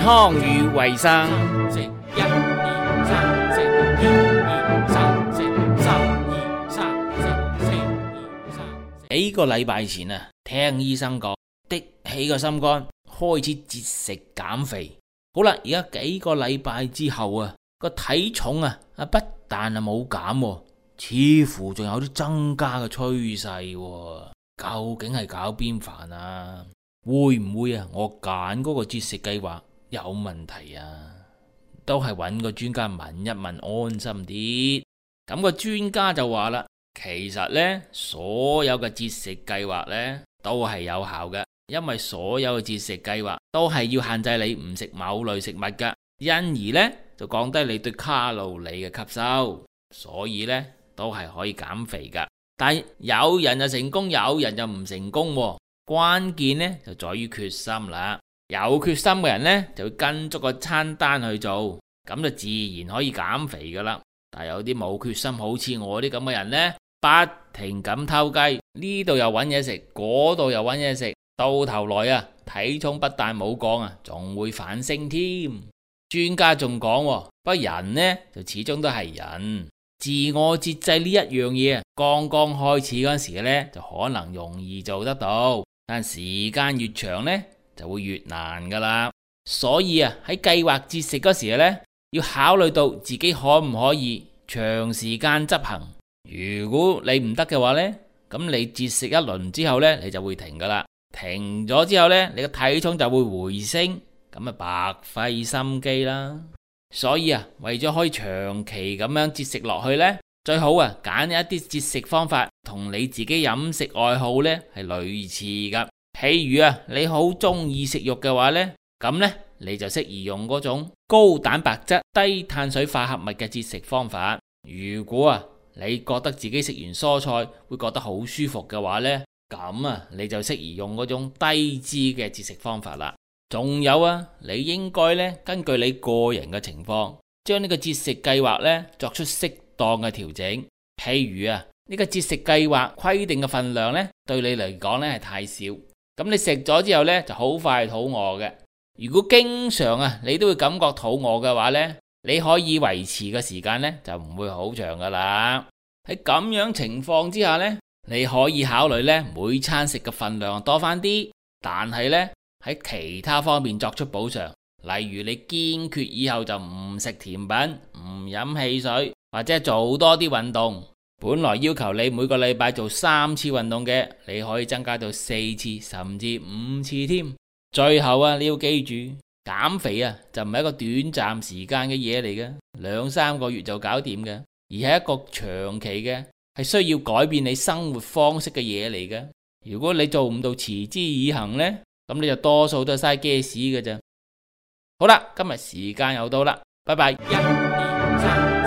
康與衛生。食一二三，食二二三，食三二三，食四二三。幾個禮拜前啊，聽醫生講，的起個心肝，開始節食減肥。好啦，而家幾個禮拜之後啊，個體重啊不但係冇減，似乎仲有啲增加嘅趨勢。究竟係搞邊瓣啊？會唔會啊？我揀嗰個節食計劃有問題啊？都係揾個專家問一問安心啲。咁個專家就話啦，其實呢，所有嘅節食計劃呢都係有效嘅，因為所有嘅節食計劃都係要限制你唔食某類食物噶，因而呢就降低你對卡路里嘅吸收，所以呢都係可以減肥噶。但有人就成功，有人就唔成功喎。關鍵呢就在於決心啦。有決心嘅人呢就會跟足個餐單去做，咁就自然可以減肥噶啦。但有啲冇決心，好似我啲咁嘅人呢，不停咁偷雞，呢度又揾嘢食，嗰度又揾嘢食，到頭來啊，體重不但冇降啊，仲會反升添。專家仲講，不過人呢就始終都係人。自我節制呢一樣嘢，剛剛開始嗰時呢，就可能容易做得到，但時間越長呢，就會越難噶啦。所以啊，喺計劃節食嗰時呢，要考慮到自己可唔可以長時間執行。如果你唔得嘅話呢，咁你節食一輪之後呢，你就會停噶啦。停咗之後呢，你個體重就會回升，咁啊白費心機啦。所以啊，為咗可以長期咁樣節食落去呢，最好啊揀一啲節食方法同你自己飲食愛好呢係類似噶。譬如啊，你好中意食肉嘅話呢，咁呢你就適宜用嗰種高蛋白質、低碳水化合物嘅節食方法。如果啊你覺得自己食完蔬菜會覺得好舒服嘅話呢，咁啊你就適宜用嗰種低脂嘅節食方法啦。仲有啊，你應該咧根據你個人嘅情況，將呢個節食計劃咧作出適當嘅調整。譬如啊，呢個節食計劃規定嘅份量咧，對你嚟講咧係太少，咁你食咗之後咧就好快肚餓嘅。如果經常啊你都會感覺肚餓嘅話咧，你可以維持嘅時間咧就唔會好長噶啦。喺咁樣情況之下咧，你可以考慮咧每餐食嘅份量多翻啲，但係咧喺其他方面作出補償，例如你堅決以後就唔食甜品、唔飲汽水，或者做多啲運動。本來要求你每個禮拜做3次運動嘅，你可以增加到4次甚至5次添。最後啊，你要記住，減肥啊就唔係一個短暫時間嘅嘢嚟嘅，2-3個月就搞掂嘅，而係一個長期嘅，係需要改變你生活方式嘅嘢嚟嘅。如果你做唔到持之以恆呢，咁你就多數都係嘥 gas 嘅啫。好啦，今日時間又到啦，拜拜。1、2、3